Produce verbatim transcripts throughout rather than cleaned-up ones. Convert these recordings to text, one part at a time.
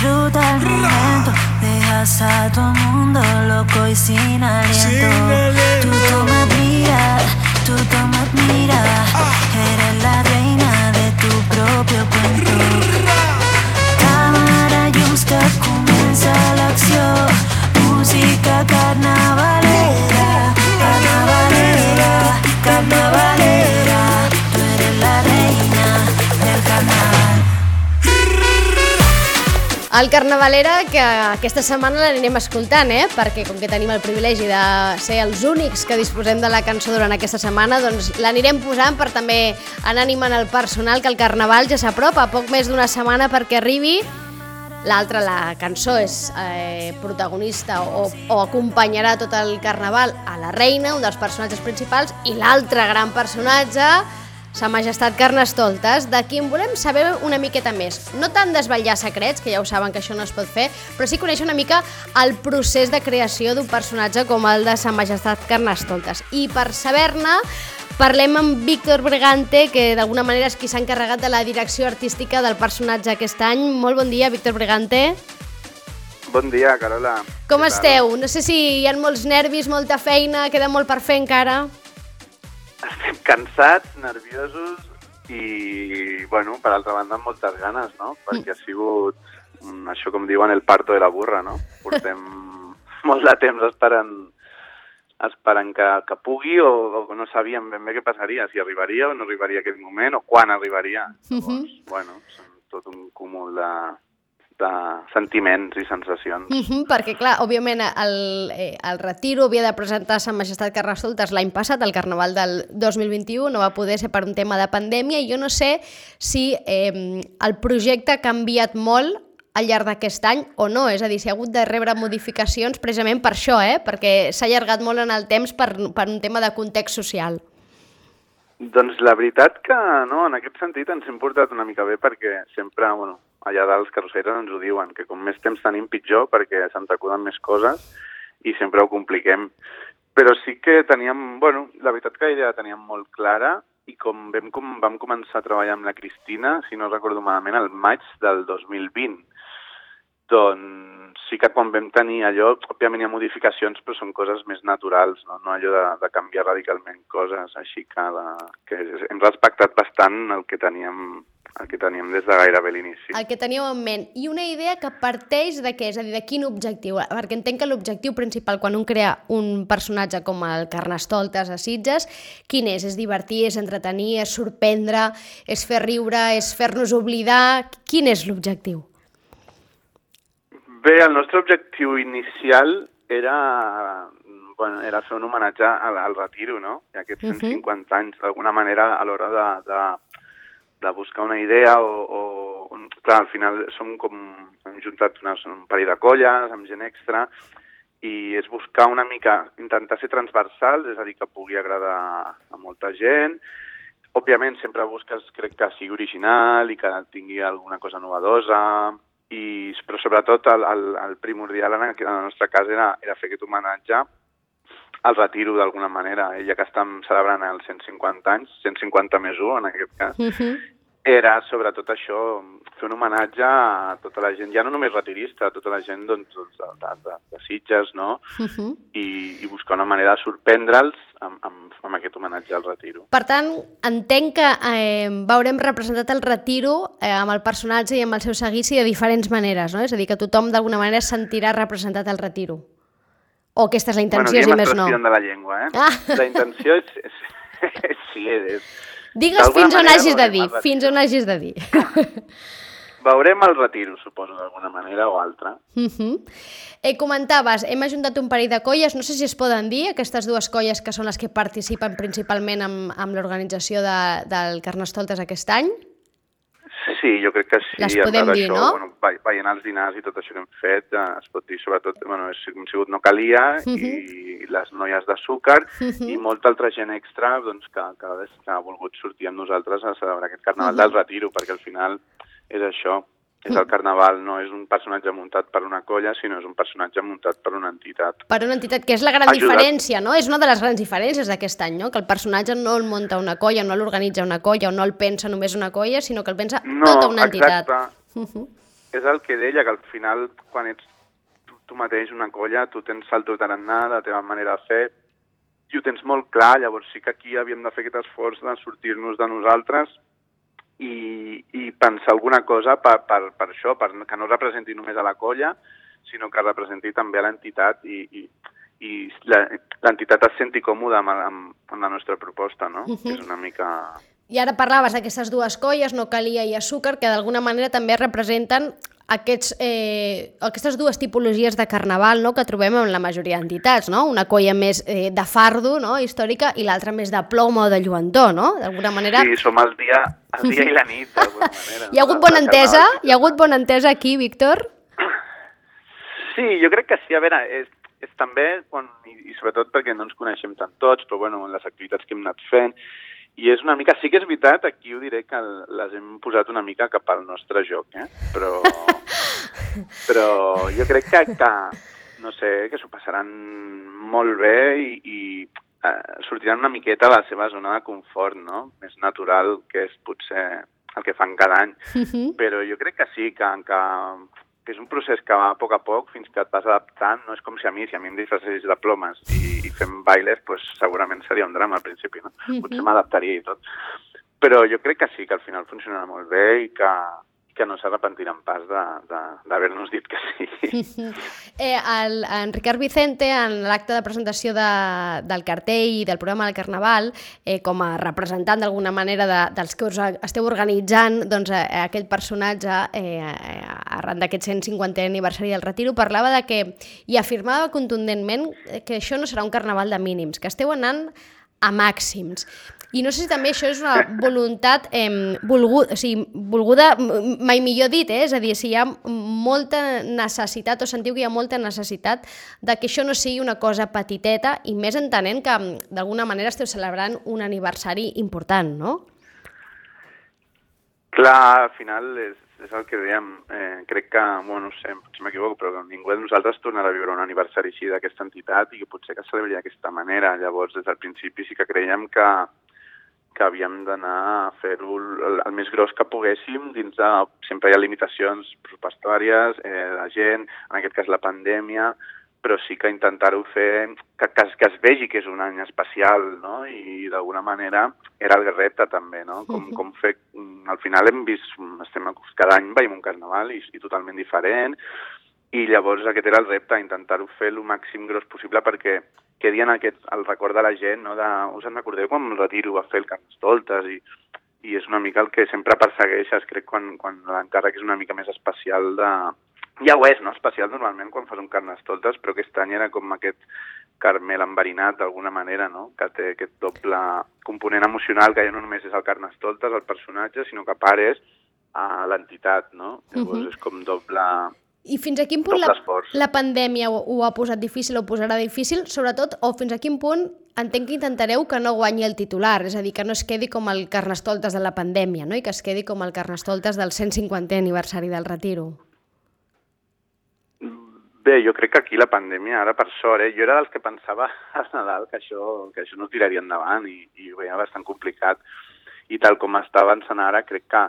disfruta el momento, dejas a todo el mundo loco y sin aliento. Tú toma mira, tú toma mira, eres la reina de tu propio cuento. Cámara llums que comença l'acció, música carnavalera, carnavalera, carnavalera, tú eres la reina del carnaval. El Carnavalera, que aquesta setmana l'anirem escoltant, eh? Perquè com que tenim el privilegi de ser els únics que disposem de la cançó durant aquesta setmana, doncs l'anirem posant per també anar animant el personal, que el Carnaval ja s'apropa, poc més d'una setmana perquè arribi. L'altra, la cançó, és eh, protagonista o, o acompanyarà tot el Carnaval a la reina, un dels personatges principals, i l'altre gran personatge, Sa Majestat Carnestoltes, de qui en volem saber una miqueta més. No tant desvetllar secrets, que ja ho saben que això no es pot fer, però sí conèixer una mica el procés de creació d'un personatge com el de Sa Majestat Carnestoltes. I per saber-ne, parlem amb Víctor Bregante, que d'alguna manera és qui s'ha encarregat de la direcció artística del personatge aquest any. Molt bon dia, Víctor Bregante. Bon dia, Carola. Com esteu? No sé si hi ha molts nervis, molta feina, queda molt per fer encara. Estem cansats, nerviosos i, bueno, per altra banda, amb moltes ganes, no? Perquè ha sigut, això com diuen, el parto de la burra, no? Portem molt de temps esperant, esperant que, que pugui o, o no sabíem ben bé què passaria, si arribaria o no arribaria aquest moment o quan arribaria. Llavors, uh-huh. bueno, són tot un cúmul de... de sentiments i sensacions. Uh-huh, perquè, clar, òbviament, el, eh, el Retiro havia de presentar Sa Majestat Carnestoltes l'any passat, el Carnaval del dos mil vint-i-u, no va poder ser per un tema de pandèmia, i jo no sé si eh, el projecte ha canviat molt al llarg d'aquest any o no, és a dir, si ha hagut de rebre modificacions precisament per això, eh? Perquè s'ha allargat molt en el temps per, per un tema de context social. Doncs la veritat que no, en aquest sentit ens hem portat una mica bé perquè sempre, bueno, allà dalt els carrosseres ens ho diuen, que com més temps tenim pitjor perquè se'ns acuden més coses i sempre ho compliquem. Però sí que teníem, bueno, la veritat que la idea la teníem molt clara i com vam, com vam començar a treballar amb la Cristina, si no recordo malament, el maig del dos mil vint. Doncs sí que quan vam tenir allò, òbviament hi ha modificacions, però són coses més naturals, no, no allò de, de canviar radicalment coses, així que, la, que hem respectat bastant el que teníem el que teníem des de gairebé l'inici. El que teníeu en ment. I una idea que parteix de què? És a dir, de quin objectiu? Perquè entenc que l'objectiu principal quan un crea un personatge com el Carnestoltes a Sitges, quin és? És divertir, és entretenir, és sorprendre, és fer riure, és fer-nos oblidar? Quin és l'objectiu? Bé, el nostre objectiu inicial era, bueno, era fer un homenatge al, al Retiro, no? I aquests cent cinquanta anys, d'alguna manera, a l'hora de, de, de buscar una idea o, o... Clar, al final som com... Hem juntat unes, un parell de colles, amb gent extra, i és buscar una mica, intentar ser transversals, és a dir, que pugui agradar a molta gent. Òbviament, sempre busques, crec que sigui original i que tingui alguna cosa novedosa, i, però sobretot el, el, el primordial en la nostra casa era, era fer aquest homenatge al Retiro d'alguna manera, ja que estem celebrant els cent cinquanta anys, cent cinquanta més u en aquest cas, uh-huh. Era sobretot això, fer un homenatge a tota la gent, ja no només retirista, a tota la gent doncs, de, de, de, de Sitges, no? Uh-huh. I, i buscar una manera de sorprendre'ls amb, amb, amb aquest homenatge al Retiro. Per tant, entenc que eh, veurem representat el Retiro eh, amb el personatge i amb el seu seguici de diferents maneres, no? És a dir, que tothom d'alguna manera sentirà representat el Retiro. O aquesta és la intenció, bueno, si més no. Bueno, de la llengua, eh? Ah. La intenció és... és, és sí, és... Digues fins on hagis de dir, fins on hagis de dir. Veurem el Retiro, suposo, d'alguna manera o altra. Uh-huh. Eh, comentaves, hem ajuntat un parell de colles, no sé si es poden dir, aquestes dues colles que són les que participen principalment amb, amb l'organització de, del Carnestoltes aquest any? Sí, jo crec que sí. Les podem dir, això, no? Bueno, veient els dinars i tot això que hem fet, eh, es pot dir, sobretot, bueno, hem sigut No Calia uh-huh. i les noies d'Azúcar uh-huh. i molta altra gent extra doncs, que, que, que ha volgut sortir amb nosaltres a celebrar aquest Carnaval uh-huh. del Retiro, perquè al final és això, és el Carnaval, no és un personatge muntat per una colla, sinó és un personatge muntat per una entitat. Per una entitat, que és la gran Ajudat. diferència, no? És una de les grans diferències d'aquest any, no? Que el personatge no el munta una colla, no l'organitza una colla, o no el pensa només una colla, sinó que el pensa no, tota una entitat. Exacte. Uh-huh. és el que deia, que al final, quan ets tu, tu mateix una colla, tu tens el teu tarannà, la teva manera de fer, i ho tens molt clar, llavors sí que aquí havíem de fer aquest esforç de sortir-nos de nosaltres i, i pensar alguna cosa per, per, per això, per que no representi només a la colla, sinó que representi també a l'entitat i, i, i l'entitat es senti còmoda amb, amb, amb la nostra proposta, no? Uh-huh. És una mica... I ara parlaves d'aquestes dues colles, no Calia i Azúcar, que d'alguna manera també representen aquests, eh, aquestes dues tipologies de carnaval, no?, que trobem en la majoria d'entitats, no? Una colla més eh, de fardo, no?, històrica, i l'altra més de ploma o de lluentor, no? D'alguna manera... Sí, som el dia, el dia i la nit, d'alguna manera. Hi ha hagut bona entesa? Hi ha hagut bona entesa aquí, Víctor? Sí, jo crec que sí. A veure, és, és també, quan, i, i sobretot perquè no ens coneixem tant tots, però bueno, en les activitats que hem anat fent, i és una mica, sí que és veritat, aquí ho diré que les hem posat una mica cap al nostre joc, eh? Però, però jo crec que, que, no sé, que s'ho passaran molt bé i, i eh, sortiran una miqueta a la seva zona de confort, no? Més natural, que és potser el que fan cada any. Uh-huh. Però jo crec que sí, que, que, que és un procés que va a poc a poc fins que et vas adaptant. No és com si a mi, si a mi em disfressés de plomes i, i fem bailes, pues, segurament seria un drama al principi, no? Uh-huh. Potser m'adaptaria i tot. Però jo crec que sí, que al final funcionarà molt bé i que, que no s'arrepentiran pas d'haver-nos dit que sí. eh, el, en Ricard Vicente, en l'acte de presentació de, del cartell i del programa del Carnaval, eh, com a representant d'alguna manera de, dels que us esteu organitzant doncs, eh, aquell personatge eh, arran d'aquest cent cinquantè aniversari del Retiro, parlava de que, i afirmava contundentment que això no serà un carnaval de mínims, que esteu anant a màxims. I no sé si també això és una voluntat eh, volguda, o sigui, volguda, mai millor dit, eh? És a dir, si hi ha molta necessitat, o sentiu que hi ha molta necessitat de que això no sigui una cosa petiteta, i més entenent que d'alguna manera esteu celebrant un aniversari important, no? Clar, al final és, és el que dèiem. Eh, crec que, bueno, no sé, potser m'equivoco, però ningú de nosaltres tornarà a viure un aniversari així d'aquesta entitat i que potser que celebri d'aquesta manera. Llavors, des del principi sí que creiem que que havíem d'anar a fer-ho el, el més gros que poguéssim dins de... Sempre hi ha limitacions pressupostàries, eh, la gent, en aquest cas la pandèmia, però sí que intentar-ho fer, que, que, que es vegi que és un any especial, no? I d'alguna manera era el repte també, no? Com, com fer... Al final hem vist, estem, cada any veiem un carnaval i, i totalment diferent, i llavors aquest era el repte, intentar-ho fer el màxim gros possible perquè quedi en aquest, el record de la gent, no? De, us en recordeu quan el Retiro va fer el Carnestoltes i, i és una mica el que sempre persegueixes, crec, quan, quan l'encàrrec és una mica més especial de... Ja ho és, no? Especial normalment quan fas un Carnestoltes, però aquest any era com aquest caramel enverinat d'alguna manera, no? Que té aquest doble component emocional que ja no només és el Carnestoltes, el personatge, sinó que a part és a l'entitat, no? Llavors uh-huh. és com doble... I fins a quin punt la, la pandèmia ho, ho ha posat difícil o ho posarà difícil, sobretot, o fins a quin punt entenc que intentareu que no guanyi el titular, és a dir, que no es quedi com el Carnestoltes de la pandèmia, no? I que es quedi com el Carnestoltes del cent cinquantè aniversari del Retiro. Bé, jo crec que aquí la pandèmia, ara per sort, eh? Jo era dels que pensava a Nadal que això, que això no tiraria endavant i, i ho veia bastant complicat. I tal com està avançant ara, crec que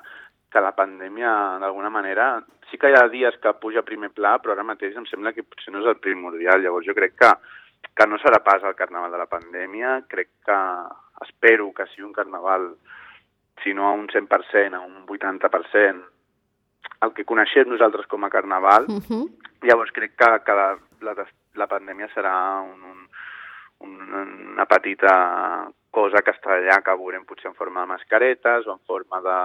que la pandèmia, d'alguna manera, sí que hi ha dies que puja a primer pla, però ara mateix em sembla que potser no és el primordial. Llavors jo crec que, que no serà pas el carnaval de la pandèmia, crec que espero que sigui un carnaval, si no a un cent per cent, a un vuitanta per cent, el que coneixem nosaltres com a carnaval. Uh-huh. Llavors crec que, que la, la, la pandèmia serà un, un, una petita cosa que estarà allà, que veurem potser en forma de mascaretes o en forma de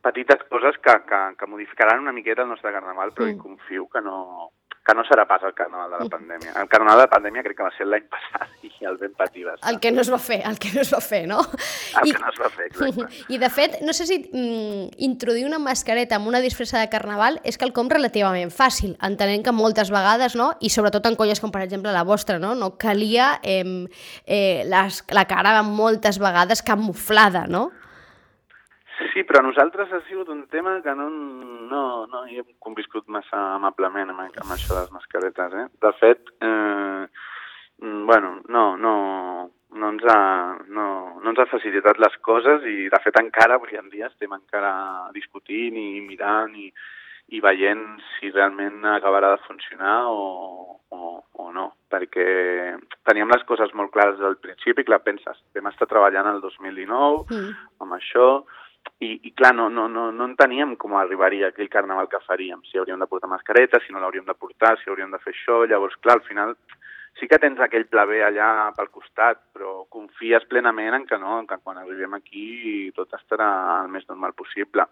petites coses que, que, que modificaran una miqueta el nostre carnaval, però mm. confio que no, que no serà pas el carnaval de la pandèmia. El carnaval de la pandèmia crec que va ser l'any passat i el ben patir va estar. El que no es va fer, el que no es va fer, no? El I, que no es va fer, exacte. I de fet, no sé si mm, introduir una mascareta amb una disfressa de carnaval és quelcom relativament fàcil, entenent que moltes vegades, no? I sobretot en colles com per exemple la vostra, no? No calia eh, eh, les, la cara moltes vegades camuflada, no? Sí, però a nosaltres ha sigut un tema que no, no, no hi hem conviscut massa amablement amb, amb això de les mascaretes, eh? De fet, eh, bueno, no, no, no, ens ha, no, no ens ha facilitat les coses i, de fet, encara avui en dia estem encara discutint i mirant i, i veient si realment acabarà de funcionar o, o, o no, perquè teníem les coses molt clares del principi, clar, penses, vam estar treballant el dos mil dinou mm. amb això, i, i clar, no, no, no, no enteníem com arribaria aquell carnaval que faríem, si hauríem de portar mascareta, si no l'hauríem de portar, si hauríem de fer això, llavors, clar, al final sí que tens aquell pla B allà pel costat, però confies plenament en que no, en que quan arribem aquí tot estarà el més normal possible.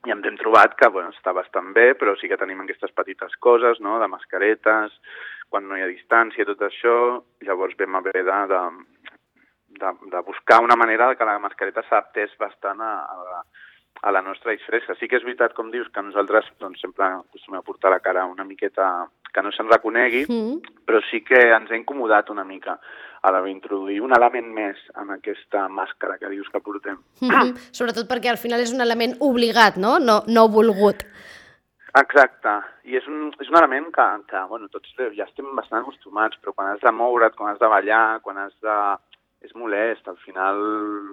I ens hem trobat que bueno, està bastant bé, però sí que tenim aquestes petites coses, no?, de mascaretes, quan no hi ha distància, tot això, llavors vam haver de, de, de, de buscar una manera que la mascareta s'adaptés bastant a, a, la, a la nostra disfressa. Sí que és veritat, com dius, que nosaltres doncs, sempre acostumem a portar la cara una miqueta que no se'n reconegui, mm. però sí que ens ha incomodat una mica a l'haver d'introduir un element més en aquesta màscara que dius que portem. Mm-hmm. Sobretot perquè al final és un element obligat, no? No, no volgut. Exacte, i és un, és un element que, que bueno, tots ja estem bastant acostumats, però quan has de moure't, quan has de ballar, quan has de... és molest, al final,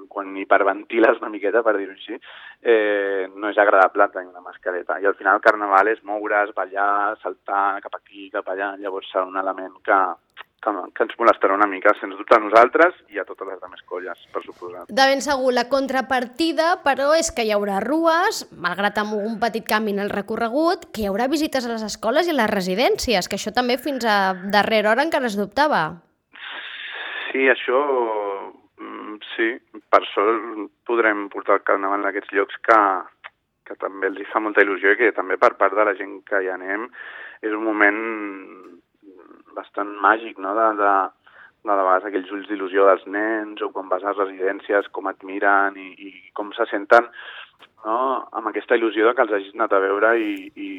quan hiperventiles una miqueta, per dir-ho així, eh, no és agradable tenir una mascareta. I al final el carnaval és moure's, ballar, saltar cap aquí, cap allà, llavors serà un element que, que, que ens molestarà una mica, sens dubte a nosaltres i a totes les altres colles, per suposat. De ben segur, la contrapartida, però, és que hi haurà rues, malgrat amb un petit canvi en el recorregut, que hi haurà visites a les escoles i a les residències, que això també fins a darrera hora encara es dubtava. Sí, això, sí, per sort podrem portar el carnaval en aquests llocs que, que també els hi fa molta il·lusió i que també per part de la gent que hi anem és un moment bastant màgic, no?, de, de, de, de vegades aquells ulls d'il·lusió dels nens o quan vas a les residències, com et miren i, i com se senten, no?, amb aquesta il·lusió de que els hagis anat a veure i... i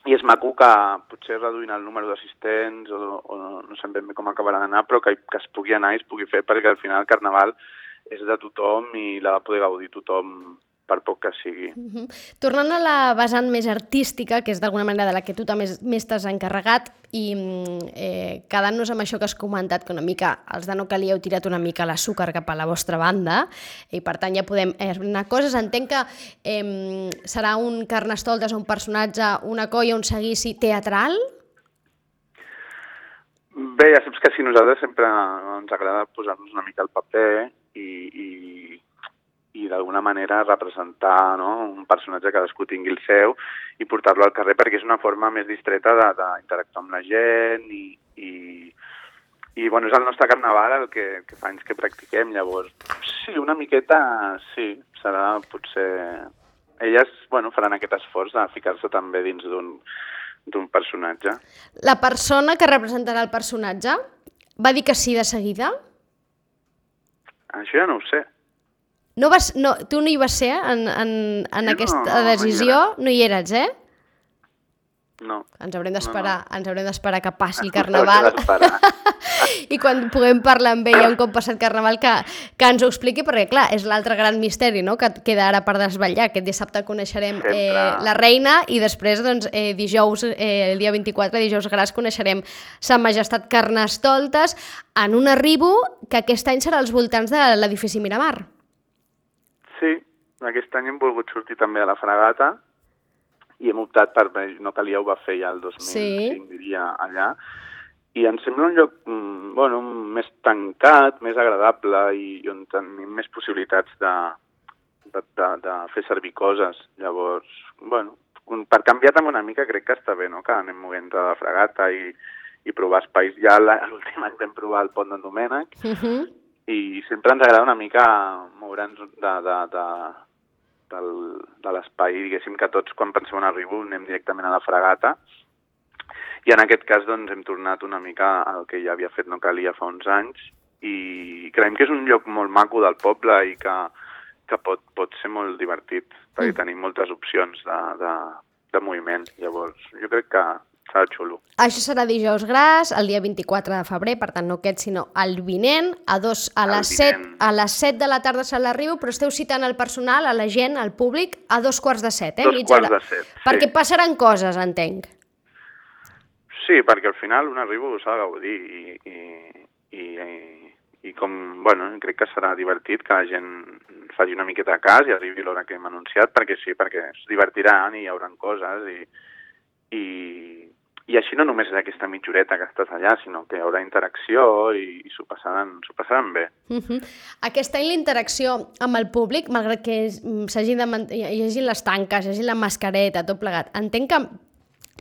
I és maco que potser reduint el número d'assistents o, o no sé ben bé com acabarà d'anar, però que, que es pugui anar i es pugui fer, perquè al final el carnaval és de tothom i l'ha de poder gaudir tothom per poc que sigui. Uh-huh. Tornant a la vessant més artística, que és d'alguna manera de la que tu també més t'has encarregat, i eh, quedant-nos amb això que has comentat, que una mica els de No Calia heu tirat una mica l'açúcar cap a la vostra banda, i per tant ja podem anar coses. Entenc que eh, serà un Carnestoltes, un personatge, una colla, un seguici teatral? Bé, ja saps que si nosaltres sempre ens agrada posar-nos una mica al paper i... i... i d'alguna manera representar, no?, un personatge que cadascú tingui el seu i portar-lo al carrer, perquè és una forma més distreta d'interactuar amb la gent i, i, i bueno, és el nostre carnaval el que, que fa anys que practiquem, llavors sí, una miqueta sí, serà potser... Elles, bueno, faran aquest esforç de ficar-se també dins d'un d'un personatge. La persona que representarà el personatge va dir que sí de seguida? Això ja no ho sé. No vas, no, tu no hi vas ser en, en, en aquesta no, decisió? No hi eres, eh? No. Ens haurem d'esperar, no, no. ens haurem d'esperar que passi el carnaval. I quan puguem parlar amb ella un cop passat carnaval que, que ens ho expliqui, perquè clar, és l'altre gran misteri, no?, que queda ara per desvetllar. Aquest dissabte coneixerem eh, la reina i després doncs, eh, dijous, eh, el dia vint-i-quatre, dijous gras, coneixerem Sa Majestat Carnestoltes en un arribo que aquest any serà als voltants de l'edifici Miramar. Sí, aquest any hem volgut sortir també a la Fragata i hem optat per... No Calia ho va fer ja el dos mil cinc, sí. diria, allà. I ens sembla un lloc bueno, més tancat, més agradable i on tenim més possibilitats de, de, de, de fer servir coses. Llavors, bueno, per canviar també una mica crec que està bé, no?, que anem movent de la Fragata i, i provar espais. Ja l'últim any vam provar el Pont d'en Domènec, uh-huh. i sempre ens agrada una mica moure'ns de, de, de, del, de l'espai, diguéssim que tots quan pensem en arribo anem directament a la Fragata, i en aquest cas doncs, hem tornat una mica al que ja havia fet No Calia fa uns anys, i creiem que és un lloc molt maco del poble i que, que pot, pot ser molt divertit, perquè mm. tenim moltes opcions de, de, de moviment, llavors jo crec que serà xulo. Això serà dijous gras, el dia vint-i-quatre de febrer, per tant no aquest, sinó el vinent, a, dos, a, les set, a les set de la tarda se l'arribo, però esteu citant el personal, a la gent, al públic, a dos quarts de set, eh? Dos quarts de set, sí. Perquè passaran coses, entenc. Sí, perquè al final un arribo s'ha de gaudir i, i, i, i com, bueno, crec que serà divertit que la gent faci una miqueta de cas i arribi l'hora que hem anunciat, perquè sí, perquè es divertiran i hi haurà coses i, i, i així no només és aquesta mitjoreta que estàs allà, sinó que hi haurà interacció i, i s'ho passaran, s'ho passaran bé. Uh-huh. Aquest any la interacció amb el públic, malgrat que s'hagi de mant- hi hagi les tanques, hi hagi la mascareta, tot plegat, entenc que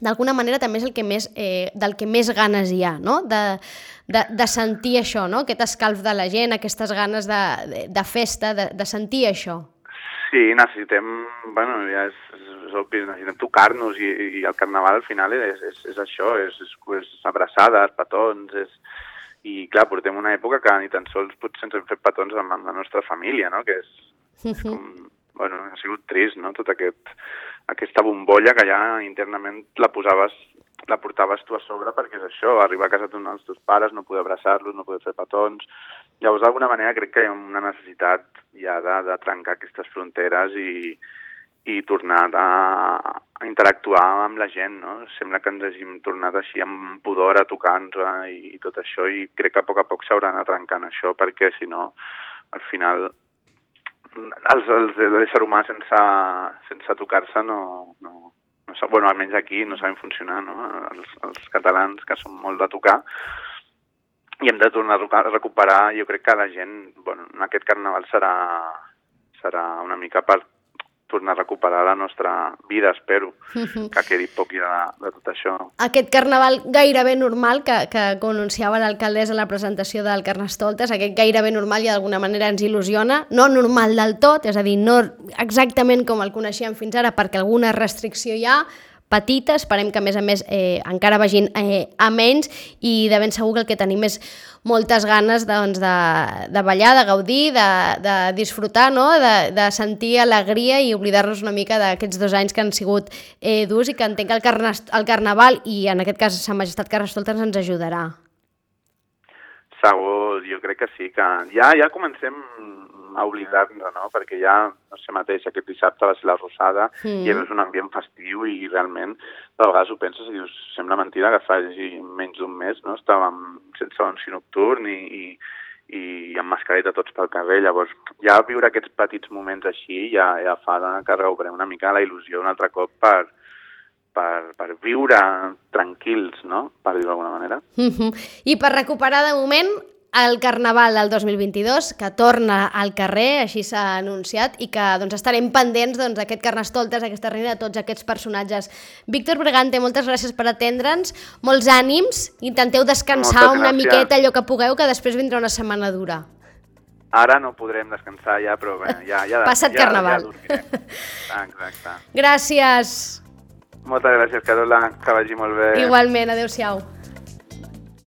d'alguna manera també és el que més, eh, del que més ganes hi ha, no? De, de, de sentir això, no? Aquest escalf de la gent, aquestes ganes de, de, de festa, de, de sentir això. Sí, necessitem, bueno, ja és, és obvi, necessitem tocar-nos i, i el carnaval al final és, és, és això, és, és, és abraçades, petons, és... I clar, portem una època que ni tan sols potser ens hem fet petons amb, amb la nostra família, no? Que és, és com... Bueno, ha sigut trist, no? Tot aquest, aquesta bombolla que ja internament la posaves, la portaves tu a sobre perquè és això, arribar a casa dels teus pares, no poder abraçar-los, no poder fer petons. Llavors, d'alguna manera, crec que hi ha una necessitat ja de, de trencar aquestes fronteres i, i tornar a, a interactuar amb la gent, no? Sembla que ens hàgim tornat així amb pudor a tocar-nos i, i tot això, i crec que a poc a poc s'haurà d'anar trencant això, perquè si no, al final... Els, els, l'ésser humà sense, sense tocar-se no, no, no sap, bueno, almenys aquí no saben funcionar, no? Els, els catalans que són molt de tocar i hem de tornar a recuperar, jo crec que la gent, bueno, en aquest carnaval serà, serà una mica per tornar a recuperar la nostra vida, espero, que quedi poc ja de, de tot això. Aquest carnaval gairebé normal, que, que anunciava l'alcaldessa a la presentació del Carnestoltes, aquest gairebé normal i d'alguna manera ens il·lusiona, no normal del tot, és a dir, no exactament com el coneixíem fins ara, perquè alguna restricció hi ha, petita, esperem que a més a més eh, encara vagin eh, a menys i de ben segur que el que tenim és moltes ganes doncs, de, de ballar, de gaudir, de, de disfrutar, no? de, de sentir alegria i oblidar-nos una mica d'aquests dos anys que han sigut eh, durs i que entenc que el, carna, el Carnaval i en aquest cas Sa Majestat Carnestoltes ens ajudarà. Segur, jo crec que sí, que ja, ja comencem a oblidar-nos, no? Perquè ja, no sé mateix, aquest dissabte va ser la Rosada mm. i és un ambient festiu i realment de vegades ho penses i dius, sembla mentida que faci menys d'un mes, no? Estàvem sense anunci nocturn i, i, i amb mascareta tots pel carrer, llavors ja viure aquests petits moments així ja, ja fa que recuperem una mica la il·lusió un altre cop per, per, per viure tranquils, no? Per dir-ho d'alguna manera. Mm-hmm. I per recuperar de moment el Carnaval del dos mil vint-i-dos, que torna al carrer, així s'ha anunciat, i que doncs, estarem pendents doncs, d'aquest Carnestoltes, aquesta reina, de tots aquests personatges. Víctor Bregante, moltes gràcies per atendre'ns, molts ànims, intenteu descansar una miqueta allò que pugueu, que després vindrà una setmana dura. Ara no podrem descansar ja, però bé, ja, ja, Passat ja, Carnaval. Ja dormirem. Exacte. Gràcies. Moltes gràcies, Carola, que vagi molt bé. Igualment, adeu-siau.